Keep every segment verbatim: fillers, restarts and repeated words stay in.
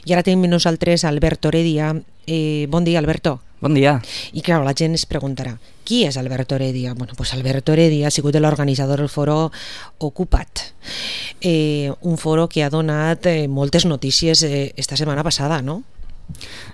I ara tenim nosaltres Alberto Heredia. Eh, bon dia, Alberto. Bon dia. I clar, la gent es preguntarà, qui és Alberto Heredia? Bueno, pues Alberto Heredia ha sigut l'organitzador del foro Ocupa't, eh, un foro que ha donat eh, moltes notícies eh, esta setmana passada, no?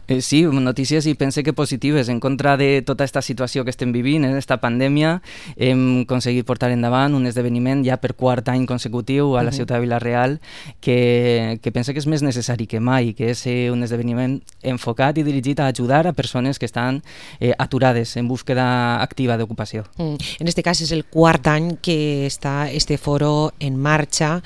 Eh, sí, notícies i pense que positives en contra de tota aquesta situació que estem vivint, en aquesta pandèmia. Hem aconseguit portar endavant un esdeveniment ja per quart any consecutiu a la ciutat de Vila-real que, que pense que és més necessari que mai, que és eh, un esdeveniment enfocat i dirigit a ajudar a persones que estan eh, aturades en búsqueda activa d'ocupació. Mm. En este cas és el quart any que està este foro en marxa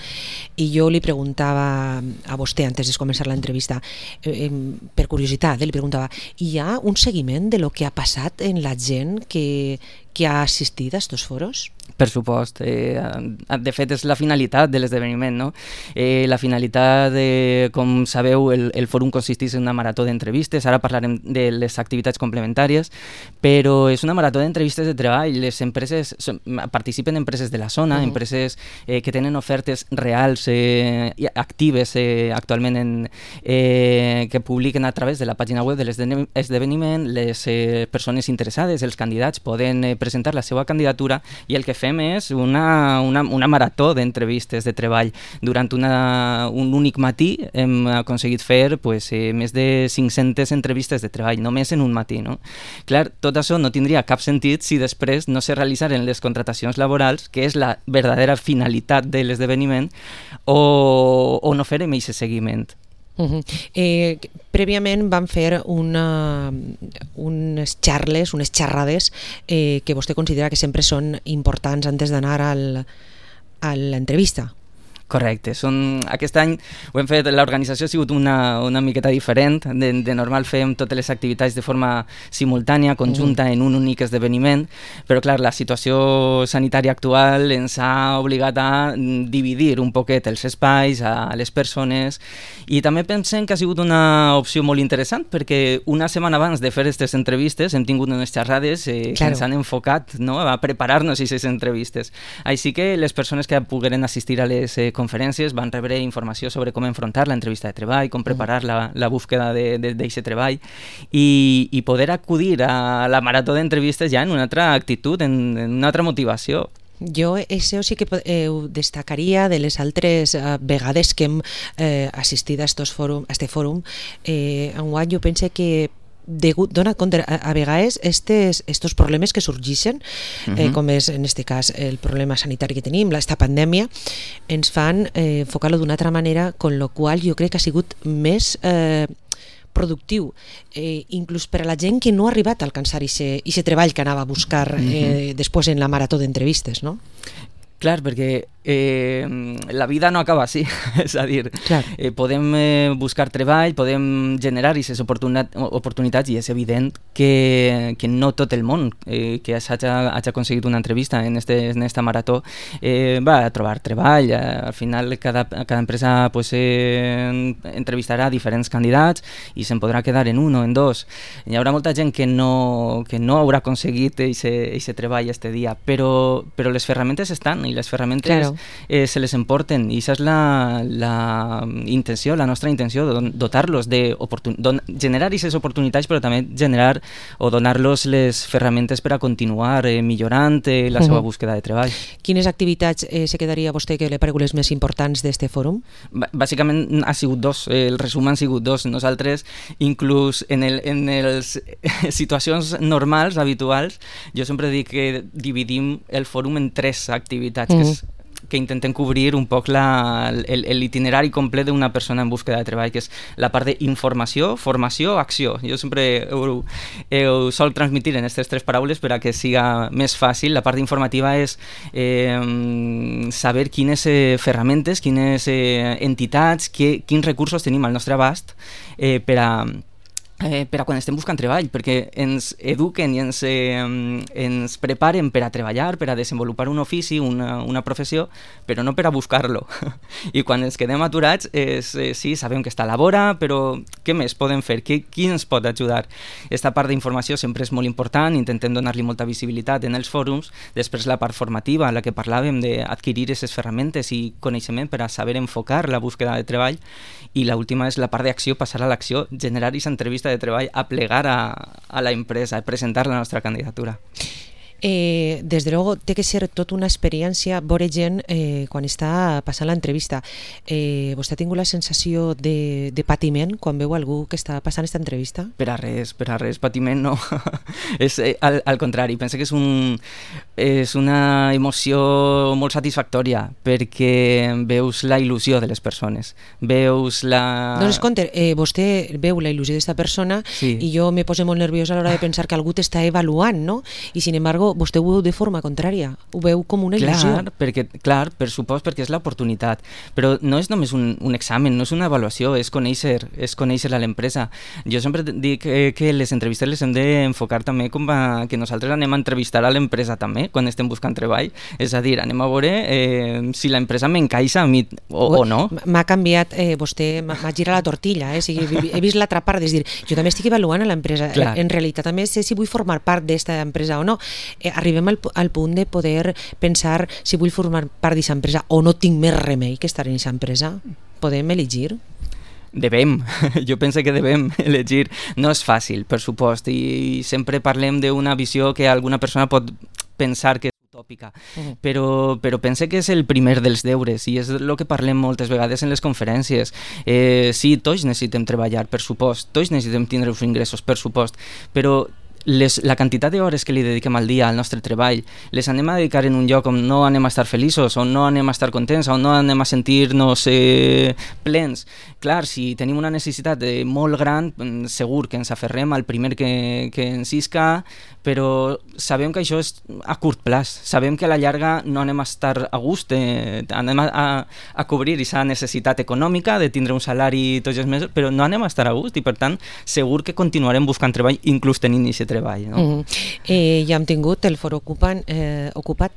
i jo li preguntava a vostè antes de començar l'entrevista, eh, per curiositat, eh, li preguntava, hi ha un seguiment de lo que ha passat en la gent que, que ha assistit a estos foros? Per supost. Eh, de fet, és la finalitat de l'esdeveniment, no? Eh, la finalitat, de, com sabeu, el, el fòrum consisteix en una marató d'entrevistes, ara parlarem de les activitats complementàries, però és una marató d'entrevistes de treball. Les empreses, participen empreses de la zona, uh-huh. empreses eh, que tenen ofertes reals, eh, actives eh, actualment, en, eh, que publiquen a través de la pàgina web de l'esdeveniment. Les eh, persones interessades, els candidats, poden eh, presentar la seva candidatura i el que fem és una, una, una marató d'entrevistes de treball. Durant una, un únic matí hem aconseguit fer pues, eh, més de cinc-centes entrevistes de treball, només en un matí. No? Clar, tot això no tindria cap sentit si després no se realitzaren les contratacions laborals, que és la verdadera finalitat de l'esdeveniment, o, o no farem aquest seguiment. Uh-huh. Eh, prèviament vam fer una, unes xarles, unes xerrades eh, que vostè considera que sempre són importants antes d'anar al, a l'entrevista. Correcte. Són, aquest any ho hem fet, l'organització ha sigut una, una miqueta diferent. De, de normal fem totes les activitats de forma simultània, conjunta, uh-huh. en un únic esdeveniment, però clar, la situació sanitària actual ens ha obligat a dividir un poquet els espais, a les persones, i també pensem que ha sigut una opció molt interessant, perquè una setmana abans de fer aquestes entrevistes hem tingut unes xerrades eh, claro. que ens han enfocat, no?, a preparar-nos aquestes entrevistes. Així que les persones que pogueren assistir a les eh, conferències van rebre informació sobre com enfrontar l'entrevista de treball, com preparar la, la búsqueda d'aquest treball i, i poder acudir a la marató d'entrevistes ja en una altra actitud, en, en una altra motivació. Jo això sí que eh, ho destacaria de les altres eh, vegades que hem eh, assistit a estos fòrum, a este fòrum. Eh, enguany jo pense que degut, dona compte a, a vegades estes, estos problemes que sorgeixen, uh-huh. eh, com és en este cas el problema sanitari que tenim, esta pandèmia, ens fan eh, enfocar-lo d'una altra manera, con lo qual jo crec que ha sigut més eh, productiu, eh, inclús per a la gent que no ha arribat a alcançar aquest treball que anava a buscar eh, uh-huh. després en la marató d'entrevistes, no? Clar, perquè eh, la vida no acaba així, és a dir, eh, podem eh, buscar treball, podem generar aquestes oportunitats i és evident que, que no tot el món eh, que hagi aconseguit una entrevista en, este, en esta marató eh, va a trobar treball. Eh, al final cada, cada empresa pues, eh, entrevistarà diferents candidats i se'n podrà quedar en un o en dos. Hi haurà molta gent que no, que no haurà aconseguit aquest treball este dia, però, però les ferramentes estan i les ferramentes claro. eh, se les emporten i aquesta és la, la intenció, la nostra intenció, dotar-los de don, generar aquestes oportunitats, però també generar o donar-los les ferramentes per a continuar eh, millorant eh, la seva uh-huh. búsqueda de treball. Quines activitats eh, se quedaria a vostè que li pareguen les més importants d'este fòrum? B- bàsicament ha sigut dos, eh, el resum han sigut dos. Nosaltres, inclús en, el, en les situacions normals, habituals, jo sempre dic que dividim el fòrum en tres activitats, mm. que, és, que intentem cobrir un poc la, el, l'itinerari complet d'una persona en búsqueda de treball, que és la part d'informació, formació, acció. Jo sempre ho, ho sol transmitir en aquestes tres paraules per a que siga més fàcil. La part informativa és eh, saber quines eh, ferramentes, quines eh, entitats, que, quins recursos tenim al nostre abast eh, per a Eh, per a quan estem buscant treball, perquè ens eduquen i ens, eh, ens preparen per a treballar, per a desenvolupar un ofici, una, una professió, però no per a buscar-lo. I quan ens quedem aturats, és, eh, sí, sabem que està a la vora, però què més podem fer? Qui, qui ens pot ajudar? Esta part d'informació sempre és molt important, intentem donar-li molta visibilitat en els fòrums, després la part formativa, en la que parlàvem d'adquirir aquestes ferramentes i coneixement per a saber enfocar la búsqueda de treball, i l'última és la part d'acció, passar a l'acció, generar aquesta entrevista de treball, a plegar a, a la empresa, a presentar la nostra candidatura. Eh, des de luego té que ser tota una experiència veure gent eh, quan està passant l'entrevista. Eh, vostè ha tingut la sensació de, de patiment quan veu algú que està passant aquesta entrevista? Per a res, per a res, patiment no. és, eh, al, al contrari, penso que és, un, és una emoció molt satisfactòria perquè veus la il·lusió de les persones, veus la... Dones compte, eh, vostè veu la il·lusió d'esta persona, sí, i jo me poso molt nerviosa a l'hora de pensar que algú t'està avaluant, no? I sin embargo vostè ho veu de forma contrària, ho veu com una il·lusió. Clar, perquè, clar, per supost, perquè és l'oportunitat, però no és només un, un examen, no és una avaluació, és conèixer, és conèixer a l'empresa. Jo sempre dic eh, que les entrevistes les hem d'enfocar també com a, que nosaltres anem a entrevistar a l'empresa també, quan estem buscant treball, és a dir, anem a veure eh, si l'empresa m'encaixa a mi o, o no. M'ha canviat, eh, vostè m'ha girat la tortilla, eh? O sigui, he vist l'altra part, és dir, jo també estic avaluant a l'empresa, en realitat també sé si vull formar part d'esta empresa o no. Eh, arribem al, al punt de poder pensar si vull formar part d'aquesta empresa o no tinc més remei que estar en aquesta empresa. Podem elegir? Devem, jo penso que devem elegir. No és fàcil, per supost, i sempre parlem d'una visió que alguna persona pot pensar que és utòpica, uh-huh. però, però pense que és el primer dels deures i és el que parlem moltes vegades en les conferències. Eh, sí, tots necessitem treballar, per supost, tots necessitem tindre uns ingressos, per supost, però Les, la quantitat d'hores que li dediquem al dia al nostre treball, les anem a dedicar en un lloc on no anem a estar feliços, on no anem a estar contents, on no anem a sentir-nos eh, plens. Clar, si tenim una necessitat eh, molt gran, segur que ens aferrem al primer que, que ens isca, però sabem que això és a curt plaç, sabem que a la llarga no anem a estar a gust, eh, anem a, a, a cobrir aquesta necessitat econòmica de tindre un salari tots els mesos, però no anem a estar a gust i per tant segur que continuarem buscant treball inclús tenint aquest treball. No? Mm-hmm. eh, ja hem tingut el foro ocupat, eh, ocupat.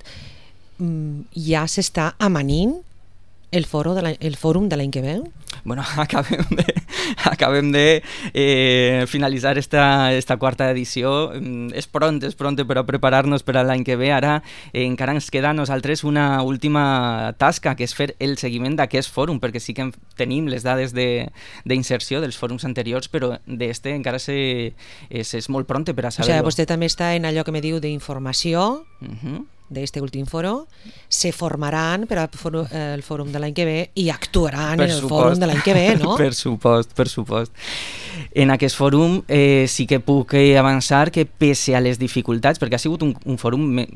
Mm, ja s'està amanint el, foro de la, el fòrum de l'any que ve? Bueno, acabem de, acabem de eh, finalitzar esta, esta quarta edició. És pront, és pront per a preparar-nos per a l'any que ve. Ara eh, encara ens queda a nosaltres una última tasca, que és fer el seguiment d'aquest fòrum, perquè sí que tenim les dades d'inserció de, dels fòrums anteriors, però d'este encara se, és, és molt pront per a saber-ho. O sigui, vostè també està en allò que me diu d'informació, uh-huh. d'este últim foro, se formaran per al fòrum, eh, el fòrum de l'any que ve i actuaran per en el supost. fòrum de l'any que ve, no? Per supost, per supost. En aquest fòrum eh, sí que puc eh, avançar que pese a les dificultats, perquè ha sigut un, un fòrum me,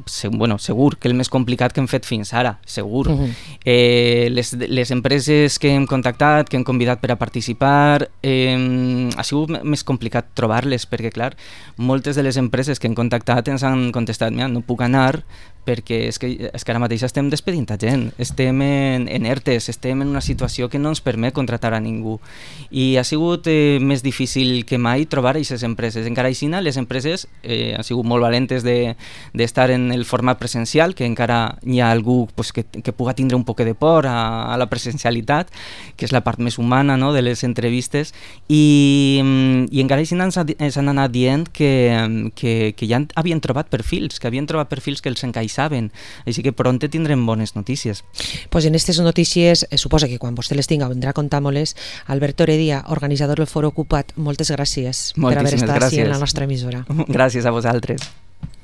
se, bueno, segur que el més complicat que hem fet fins ara, segur. Uh-huh. eh, les, les empreses que hem contactat, que hem convidat per a participar, eh, ha sigut més complicat trobar-les, perquè clar, moltes de les empreses que hem contactat ens han contestat, mira, no puc anar perquè és que, és que ara mateix estem despedint a gent, estem en, en ERTES, estem en una situació que no ens permet contratar a ningú i ha sigut eh, més difícil que mai trobar aquestes empreses. Encara així, les empreses eh, han sigut molt valentes d'estar de, en el format presencial, que encara hi ha algú pues, que, que puga tindre un poc de por a, a la presencialitat, que és la part més humana, no?, de les entrevistes, i, i encara així ens, ens han anat dient que, que, que ja havien trobat perfils, que havien trobat perfils que els encaixaven saben, així que pronte tindrem bones notícies. Pues en aquestes notícies, eh, suposa que quan vostè les tinga vendrà a contar-me-les. Alberto Heredia, organitzador del Foro Ocupat, moltes gràcies Moltíssimes per haver estat gràcies. així en la nostra emissora. Gràcies a vosaltres.